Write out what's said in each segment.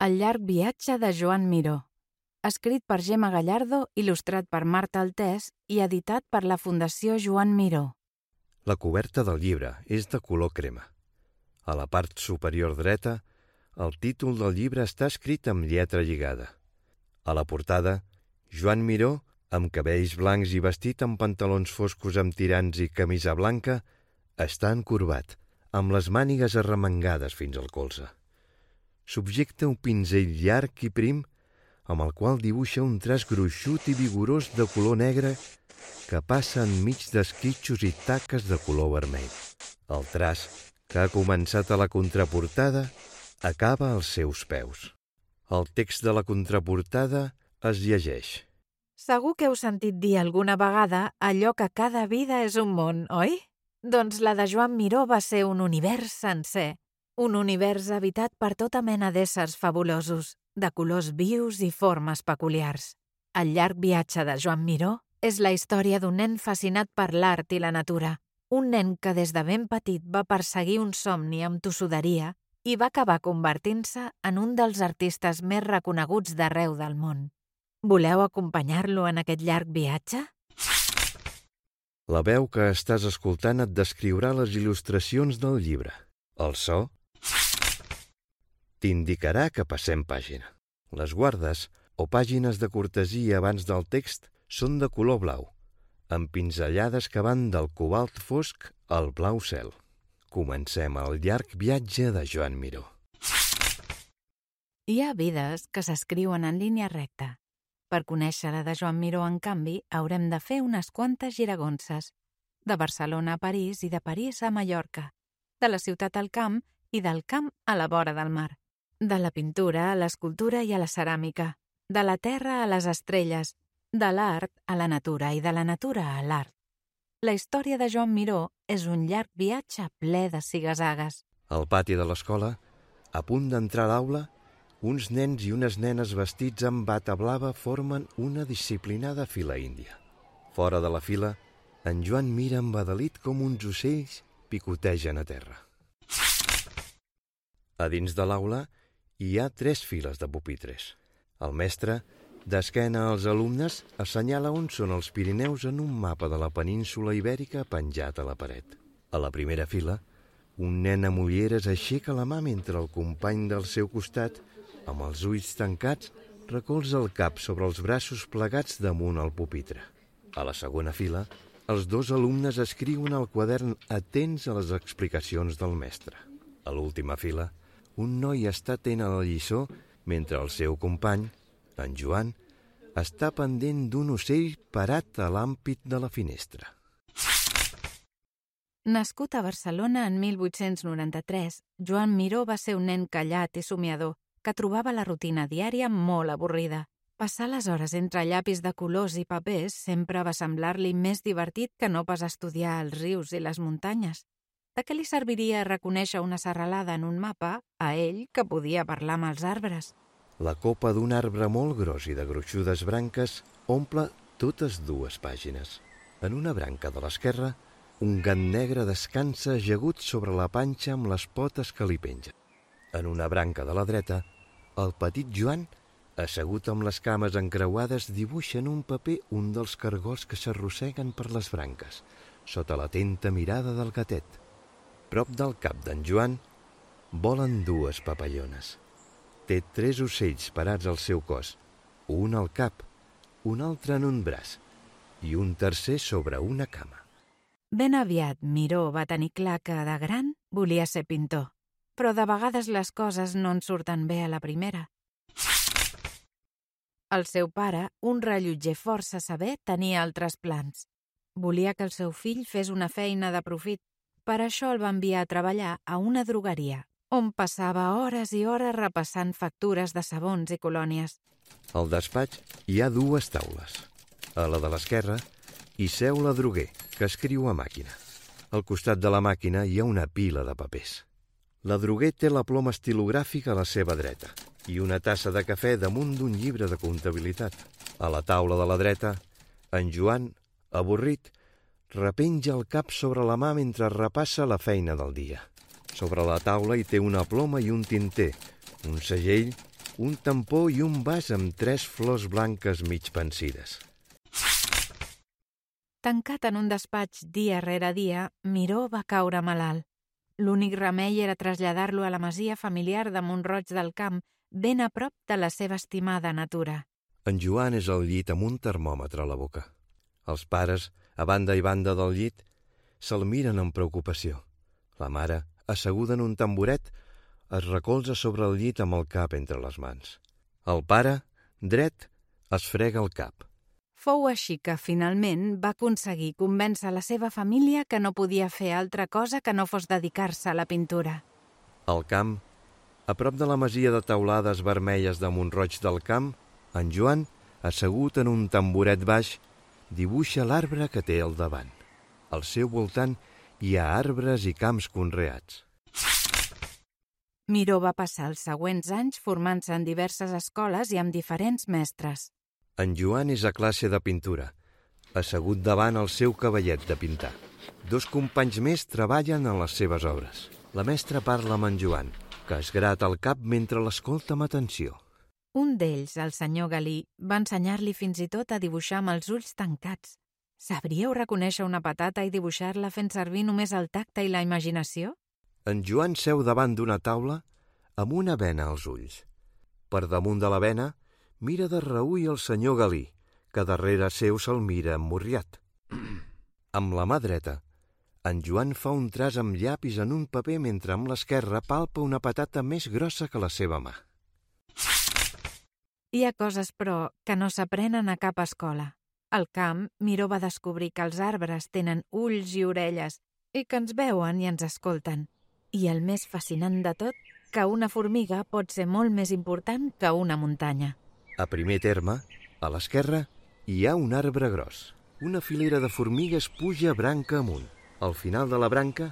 El llarg viatge de Joan Miró. Escrit per Gemma Gallardo, il·lustrat per Marta Altés i editat per la Fundació Joan Miró. La coberta del llibre és de color crema. A la part superior dreta, el títol del llibre està escrit amb lletra lligada. A la portada, Joan Miró, amb cabells blancs i vestit amb pantalons foscos amb tirants i camisa blanca, està encorbat, amb les mànigues arremangades fins al colze. Subjecta un pinzell llarg i prim, amb el qual dibuixa un traç gruixut i vigorós de color negre que passa enmig d'esquitxos i taques de color vermell. El traç, que ha començat a la contraportada, acaba als seus peus. El text de la contraportada es llegeix. Segur que heu sentit dir alguna vegada allò que cada vida és un món, oi? Doncs la de Joan Miró va ser un univers sencer. Un univers habitat per tota mena d'éssers fabulosos, de colors vius i formes peculiars. El llarg viatge de Joan Miró és la història d'un nen fascinat per l'art i la natura. Un nen que des de ben petit va perseguir un somni amb tossuderia i va acabar convertint-se en un dels artistes més reconeguts d'arreu del món. Voleu acompanyar-lo en aquest llarg viatge? La veu que estàs escoltant et descriurà les il·lustracions del llibre. El so t'indicarà que passem pàgina. Les guardes o pàgines de cortesia abans del text són de color blau, amb pinzellades que van del cobalt fosc al blau cel. Comencem el llarg viatge de Joan Miró. Hi ha vides que s'escriuen en línia recta. Per conèixer la de Joan Miró, en canvi, haurem de fer unes quantes giragonses. De Barcelona a París i de París a Mallorca. De la ciutat al camp i del camp a la vora del mar. De la pintura a l'escultura i a la ceràmica. De la terra a les estrelles. De l'art a la natura i de la natura a l'art. La història de Joan Miró és un llarg viatge ple de ziga-zagues. Al pati de l'escola, a punt d'entrar a l'aula, uns nens i unes nenes vestits amb bata blava formen una disciplinada fila índia. Fora de la fila, en Joan mira embadalit com uns ocells picotegen a terra. A dins de l'aula hi ha 3 files de pupitres. El mestre, d'esquena als alumnes, assenyala on són els Pirineus en un mapa de la península Ibèrica penjat a la paret. A la primera fila, un nen amb ulleres aixeca la mà mentre el company del seu costat, amb els ulls tancats, recolza el cap sobre els braços plegats damunt el pupitre. A la segona fila, els 2 alumnes escriuen al quadern atents a les explicacions del mestre. A l'última fila, un noi està atent a la lliçó mentre el seu company, en Joan, està pendent d'un ocell parat a l'ampit de la finestra. Nascut a Barcelona en 1893, Joan Miró va ser un nen callat i somiador que trobava la rutina diària molt avorrida. Passar les hores entre llapis de colors i papers sempre va semblar-li més divertit que no pas estudiar els rius i les muntanyes. De què li serviria reconèixer una serralada en un mapa a ell que podia parlar amb els arbres? La copa d'un arbre molt gros i de gruixudes branques omple totes 2 pàgines. En una branca de l'esquerra, un gat negre descansa ajagut sobre la panxa amb les potes que li pengen. En una branca de la dreta, el petit Joan, assegut amb les cames encreuades, dibuixa en un paper un dels cargols que s'arrosseguen per les branques, sota l'atenta mirada del gatet. Prop del cap d'en Joan volen 2 papallones. Té 3 ocells parats al seu cos, un al cap, un altre en un braç i un tercer sobre una cama. Ben aviat Miró va tenir clar que, de gran, volia ser pintor. Però de vegades les coses no en surten bé a la primera. El seu pare, un rellotger força saber, tenia altres plans. Volia que el seu fill fes una feina de profit. Per això el va enviar a treballar a una drogueria, on passava hores i hores repassant factures de sabons i colònies. Al despatx hi ha 2 taules. A la de l'esquerra hi seu l'adroguer, que escriu a màquina. Al costat de la màquina hi ha una pila de papers. L'adroguer té la ploma estilogràfica a la seva dreta i una tassa de cafè damunt d'un llibre de comptabilitat. A la taula de la dreta, en Joan, avorrit, repenja el cap sobre la mà mentre repassa la feina del dia. Sobre la taula hi té una ploma i un tinter, un segell un tampó i un vas amb 3 flors blanques mig pansides. Tancat en un despatx dia rere dia, Miró va caure malalt. L'únic remei era traslladar-lo a la masia familiar de Mont-roig del Camp, ben a prop de la seva estimada natura. En Joan és al llit amb un termòmetre a la boca. Els pares, a banda i banda del llit, se'l miren amb preocupació. La mare, asseguda en un tamboret, es recolza sobre el llit amb el cap entre les mans. El pare, dret, es frega el cap. Fou així que, finalment, va aconseguir convèncer la seva família que no podia fer altra cosa que no fos dedicar-se a la pintura. Al camp, a prop de la masia de teulades vermelles de Mont-roig del Camp, en Joan, assegut en un tamboret baix, dibuixa l'arbre que té al davant. Al seu voltant hi ha arbres i camps conreats. Miró va passar els següents anys formant-se en diverses escoles i amb diferents mestres. En Joan és a classe de pintura, assegut davant el seu cavallet de pintar. 2 companys més treballen en les seves obres. La mestra parla amb en Joan, que es grata el cap mentre l'escolta amb atenció. Un d'ells, el senyor Galí, va ensenyar-li fins i tot a dibuixar amb els ulls tancats. Sabríeu reconèixer una patata i dibuixar-la fent servir només el tacte i la imaginació? En Joan seu davant d'una taula amb una bena als ulls. Per damunt de la bena mira de reüll el senyor Galí, que darrere seu se'l mira emmorriat. Amb la mà dreta, en Joan fa un traç amb llapis en un paper mentre amb l'esquerra palpa una patata més grossa que la seva mà. Hi ha coses, però, que no s'aprenen a cap escola. Al camp, Miró va descobrir que els arbres tenen ulls i orelles i que ens veuen i ens escolten. I el més fascinant de tot, que una formiga pot ser molt més important que una muntanya. A primer terme, a l'esquerra, hi ha un arbre gros. Una filera de formigues puja branca amunt. Al final de la branca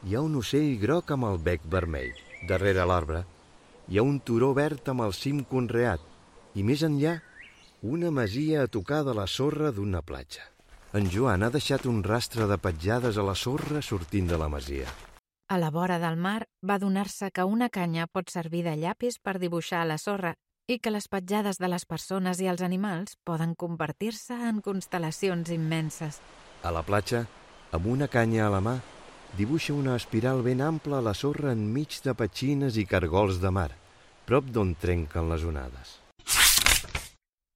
hi ha un ocell groc amb el bec vermell. Darrere l'arbre hi ha un turó verd amb el cim conreat i més enllà una masia a tocar de la sorra d'una platja. En Joan ha deixat un rastre de petjades a la sorra sortint de la masia. A la vora del mar va adonar-se que una canya pot servir de llapis per dibuixar a la sorra i que les petjades de les persones i els animals poden convertir-se en constel·lacions immenses. A la platja, amb una canya a la mà, dibuixa una espiral ben ampla a la sorra enmig de petxines i cargols de mar, prop d'on trenquen les onades.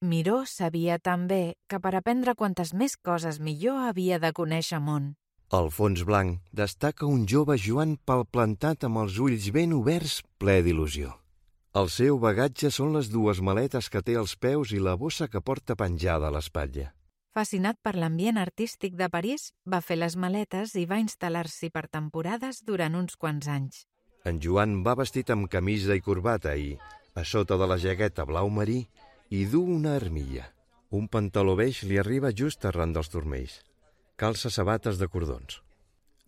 Miró sabia també que per aprendre quantes més coses millor havia de conèixer món. Al fons blanc destaca un jove Joan palplantat amb els ulls ben oberts, ple d'il·lusió. El seu bagatge són les 2 maletes que té als peus i la bossa que porta penjada a l'espatlla. Fascinat per l'ambient artístic de París, va fer les maletes i va instal·lar-s'hi per temporades durant uns quants anys. En Joan va vestit amb camisa i corbata i, a sota de la jaqueta blau marí, hi du una armilla. Un pantaló beix li arriba just arran dels turmells. Calça sabates de cordons.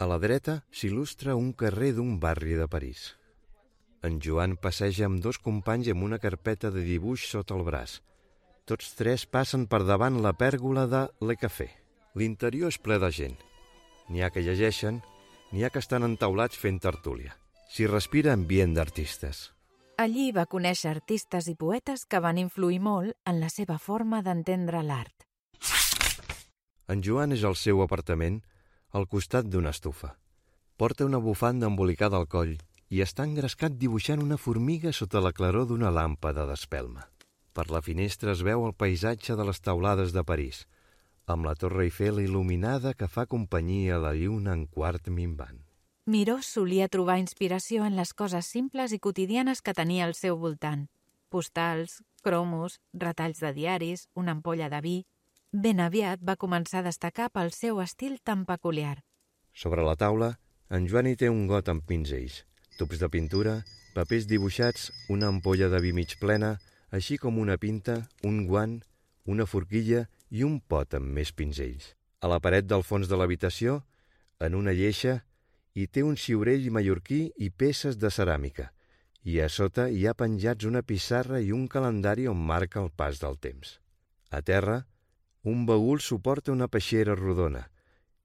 A la dreta s'il·lustra un carrer d'un barri de París. En Joan passeja amb 2 companys amb una carpeta de dibuix sota el braç. Tots 3 passen per davant la pèrgola de Le Café. L'interior és ple de gent. N'hi ha que llegeixen, n'hi ha que estan entaulats fent tertúlia. S'hi respira ambient d'artistes. Allí va conèixer artistes i poetes que van influir molt en la seva forma d'entendre l'art. En Joan és al seu apartament, al costat d'una estufa. Porta una bufanda embolicada al coll i està engrescat dibuixant una formiga sota la claror d'una làmpada d'espelma. Per la finestra es veu el paisatge de les teulades de París, amb la Torre Eiffel il·luminada que fa companyia a la lluna en quart minvant. Miró solia trobar inspiració en les coses simples i quotidianes que tenia al seu voltant. Postals, cromos, retalls de diaris, una ampolla de vi. Ben aviat va començar a destacar pel seu estil tan peculiar. Sobre la taula, en Joan hi té un got amb pinzells, tubs de pintura, papers dibuixats, una ampolla de vi mig plena, així com una pinta, un guant, una forquilla i un pot amb més pinzells. A la paret del fons de l'habitació, en una lleixa, hi té un ciurell mallorquí i peces de ceràmica, i a sota hi ha penjats una pissarra i un calendari on marca el pas del temps. A terra, un baül suporta una peixera rodona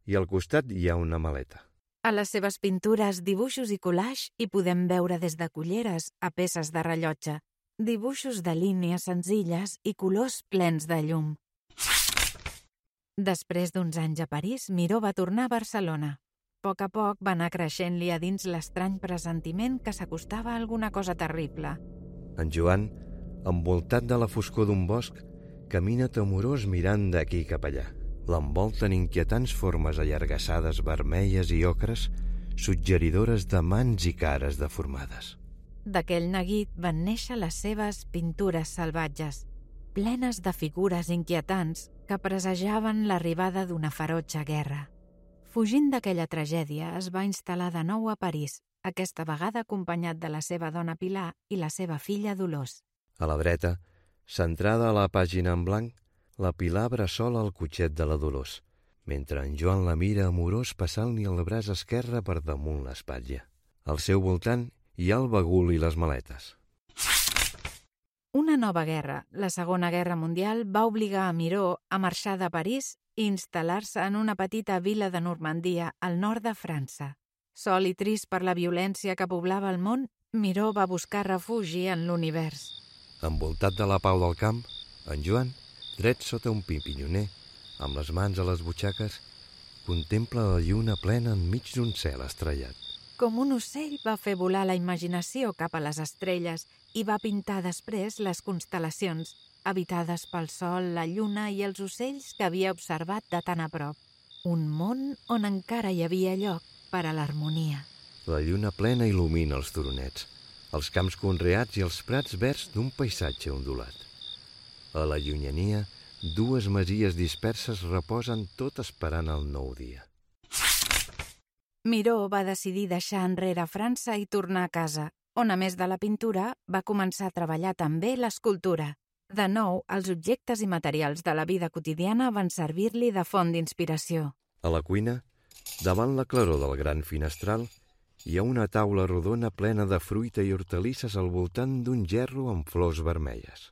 i al costat hi ha una maleta. A les seves pintures, dibuixos i collage hi podem veure des de culleres a peces de rellotge, dibuixos de línies senzilles i colors plens de llum. Després d'uns anys a París, Miró va tornar a Barcelona. A poc va anar creixent-li a dins l'estrany pressentiment que s'acostava a alguna cosa terrible. En Joan, envoltat de la foscor d'un bosc, camina temorós mirant d'aquí cap allà. L'envolten inquietants formes allargassades vermelles i ocres, suggeridores de mans i cares deformades. D'aquell neguit van néixer les seves pintures salvatges, plenes de figures inquietants que presagiaven l'arribada d'una ferotge guerra. Fugint d'aquella tragèdia, es va instal·lar de nou a París, aquesta vegada acompanyat de la seva dona Pilar i la seva filla Dolors. A la dreta, centrada a la pàgina en blanc, la Pilar bressola el cotxet de la Dolors, mentre en Joan la mira amorós passant-li el braç esquerre per damunt l'espatlla. Al seu voltant hi ha el bagul i les maletes. Una nova guerra, la Segona Guerra Mundial, va obligar a Miró a marxar de París i instal·lar-se en una petita vila de Normandia, al nord de França. Sol i trist per la violència que poblava el món, Miró va buscar refugi en l'univers. Envoltat de la pau del camp, en Joan, dret sota un pi pinyoner, amb les mans a les butxaques, contempla la lluna plena enmig d'un cel estrellat. Com un ocell va fer volar la imaginació cap a les estrelles i va pintar després les constel·lacions, habitades pel sol, la lluna i els ocells que havia observat de tan a prop. Un món on encara hi havia lloc per a l'harmonia. La lluna plena il·lumina els turonets, els camps conreats i els prats verds d'un paisatge ondulat. A la llunyania, dues masies disperses reposen tot esperant el nou dia. Miró va decidir deixar enrere França i tornar a casa, on a més de la pintura va començar a treballar també l'escultura. De nou, els objectes i materials de la vida quotidiana van servir-li de font d'inspiració. A la cuina, davant la claror del gran finestral, hi ha una taula rodona plena de fruita i hortalisses al voltant d'un gerro amb flors vermelles.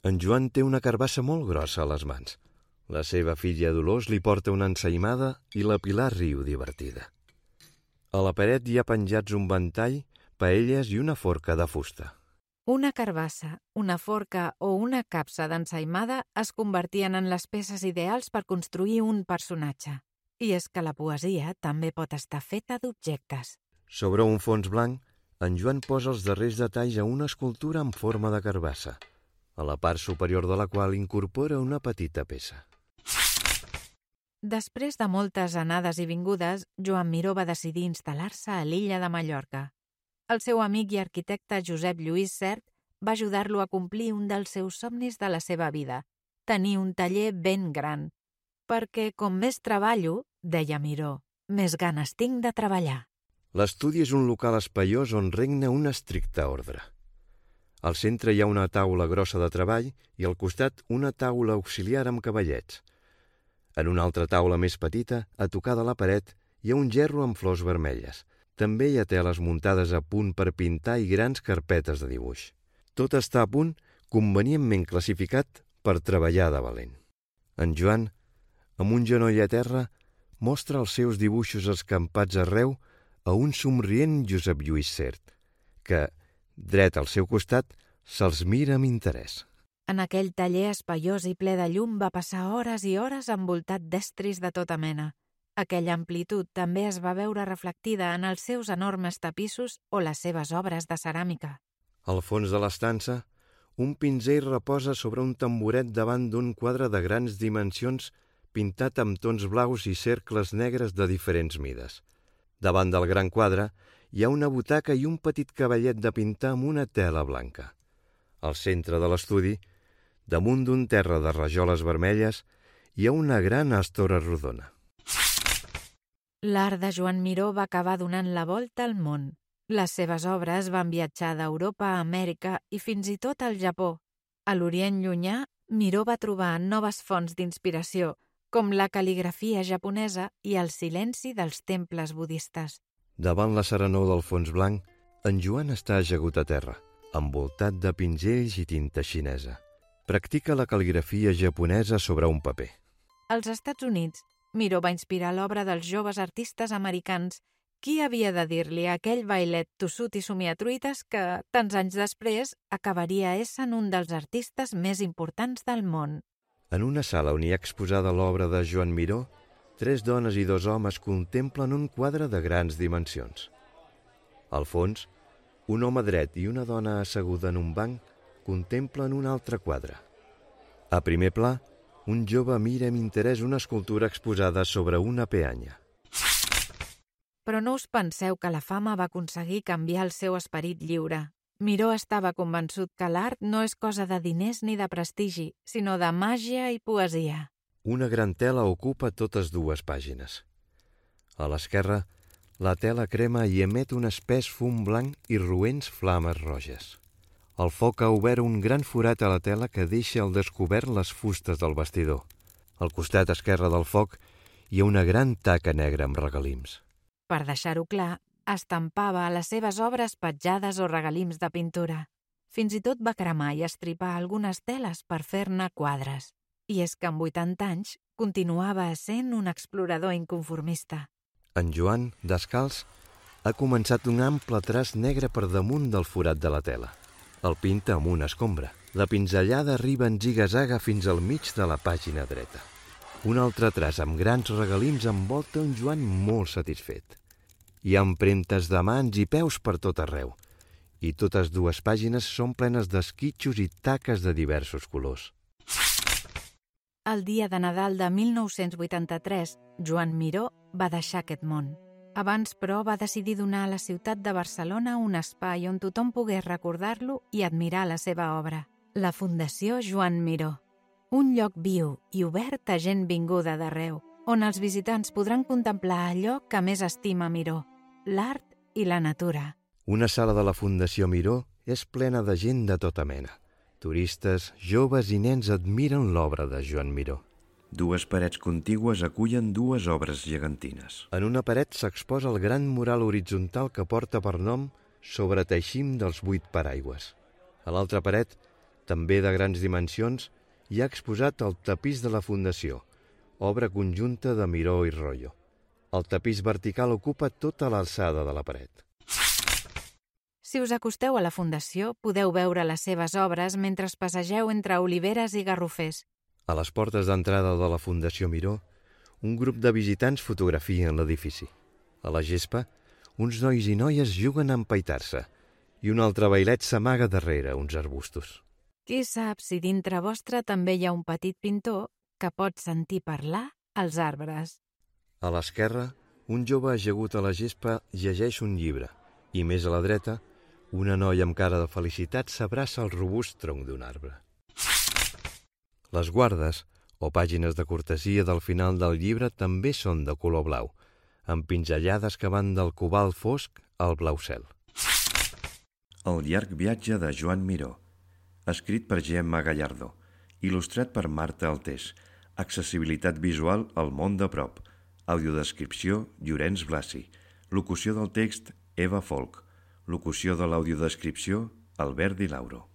En Joan té una carbassa molt grossa a les mans. La seva filla Dolors li porta una ensaïmada i la Pilar riu divertida. A la paret hi ha penjats un ventall, paelles i una forca de fusta. Una carbassa, una forca o una capsa d'ensaïmada es convertien en les peces ideals per construir un personatge. I és que la poesia també pot estar feta d'objectes. Sobre un fons blanc, en Joan posa els darrers detalls a una escultura en forma de carbassa, a la part superior de la qual incorpora una petita peça. Després de moltes anades i vingudes, Joan Miró va decidir instal·lar-se a l'illa de Mallorca. El seu amic i arquitecte Josep Lluís Sert va ajudar-lo a complir un dels seus somnis de la seva vida, tenir un taller ben gran. Perquè com més treballo, deia Miró, més ganes tinc de treballar. L'estudi és un local espaiós on regna un estricte ordre. Al centre hi ha una taula grossa de treball i al costat una taula auxiliar amb cavallets. En una altra taula més petita, a tocar de la paret, hi ha un gerro amb flors vermelles. També hi ha teles muntades a punt per pintar i grans carpetes de dibuix. Tot està a punt, convenientment classificat per treballar de valent. En Joan, amb un genoll a terra, mostra els seus dibuixos escampats arreu a un somrient Josep Lluís Sert, que, dret al seu costat, se'ls mira amb interès. En aquell taller espaiós i ple de llum va passar hores i hores envoltat d'estris de tota mena. Aquella amplitud també es va veure reflectida en els seus enormes tapissos o les seves obres de ceràmica. Al fons de l'estança, un pinzell reposa sobre un tamboret davant d'un quadre de grans dimensions pintat amb tons blaus i cercles negres de diferents mides. Davant del gran quadre hi ha una butaca i un petit cavallet de pintar amb una tela blanca. Al centre de l'estudi, damunt d'un terra de rajoles vermelles, hi ha una gran estora rodona. L'art de Joan Miró va acabar donant la volta al món. Les seves obres van viatjar d'Europa a Amèrica i fins i tot al Japó. A l'Orient Llunyà, Miró va trobar noves fonts d'inspiració, com la cal·ligrafia japonesa i el silenci dels temples budistes. Davant la serenor del fons blanc, en Joan està ajagut a terra, envoltat de pinzells i tinta xinesa. Practica la cal·ligrafia japonesa sobre un paper. Als Estats Units, Miró va inspirar l'obra dels joves artistes americans Qui havia de dir-li a aquell bailet tossut i somiatruites que, tants anys després, acabaria essent un dels artistes més importants del món? En una sala on hi ha exposada l'obra de Joan Miró, 3 dones i 2 homes contemplen un quadre de grans dimensions. Al fons, un home dret i una dona asseguda en un banc contemplen un altre quadre. A primer pla, un jove mira amb interès una escultura exposada sobre una peanya. Però no us penseu que la fama va aconseguir canviar el seu esperit lliure. Miró estava convençut que l'art no és cosa de diners ni de prestigi, sinó de màgia i poesia. Una gran tela ocupa totes 2 pàgines. A l'esquerra, la tela crema i emet un espès fum blanc i roents flames roges. El foc ha obert un gran forat a la tela que deixa al descobert les fustes del bastidor. Al costat esquerre del foc hi ha una gran taca negra amb regalims. Per deixar-ho clar, estampava a les seves obres petjades o regalims de pintura. Fins i tot va cremar i estripar algunes teles per fer-ne quadres. I és que amb 80 anys continuava essent un explorador inconformista. En Joan, descalç, ha començat un ample traç negre per damunt del forat de la tela. El pinta amb una escombra. La pinzellada arriba en ziga-zaga fins al mig de la pàgina dreta. Un altre traç amb grans regalims envolta un Joan molt satisfet. Hi ha empremtes de mans i peus per tot arreu, i totes 2 pàgines són plenes d'esquitxos i taques de diversos colors. El dia de Nadal de 1983, Joan Miró va deixar aquest món. Abans, però, va decidir donar a la ciutat de Barcelona un espai on tothom pogués recordar-lo i admirar la seva obra. La Fundació Joan Miró. Un lloc viu i obert a gent vinguda d'arreu, on els visitants podran contemplar allò que més estima Miró, l'art i la natura. Una sala de la Fundació Miró és plena de gent de tota mena. Turistes, joves i nens admiren l'obra de Joan Miró. 2 parets contigües acullen 2 obres gegantines. En una paret s'exposa el gran mural horitzontal que porta per nom Sobre teixim dels 8 paraigües. A l'altra paret, també de grans dimensions, hi ha exposat el tapís de la Fundació, obra conjunta de Miró i Royo. El tapís vertical ocupa tota l'alçada de la paret. Si us acosteu a la Fundació, podeu veure les seves obres mentre passegeu entre oliveres i garrofers. A les portes d'entrada de la Fundació Miró, un grup de visitants fotografien l'edifici. A la gespa, uns nois i noies juguen a empaitar-se i un altre bailet s'amaga darrere uns arbustos. Qui sap si dintre vostre també hi ha un petit pintor que pot sentir parlar els arbres. A l'esquerra, un jove ajagut a la gespa llegeix un llibre i més a la dreta, una noia amb cara de felicitat s'abraça al robust tronc d'un arbre. Les guardes, o pàgines de cortesia del final del llibre, també són de color blau, amb pinzellades que van del cobalt fosc al blau cel. El llarg viatge de Joan Miró, escrit per Gemma Gallardo, il·lustrat per Marta Altés, accessibilitat visual al món de prop, audiodescripció Llorenç Blasi, locució del text Eva Folk, locució de l'audiodescripció Albert Di Lauro.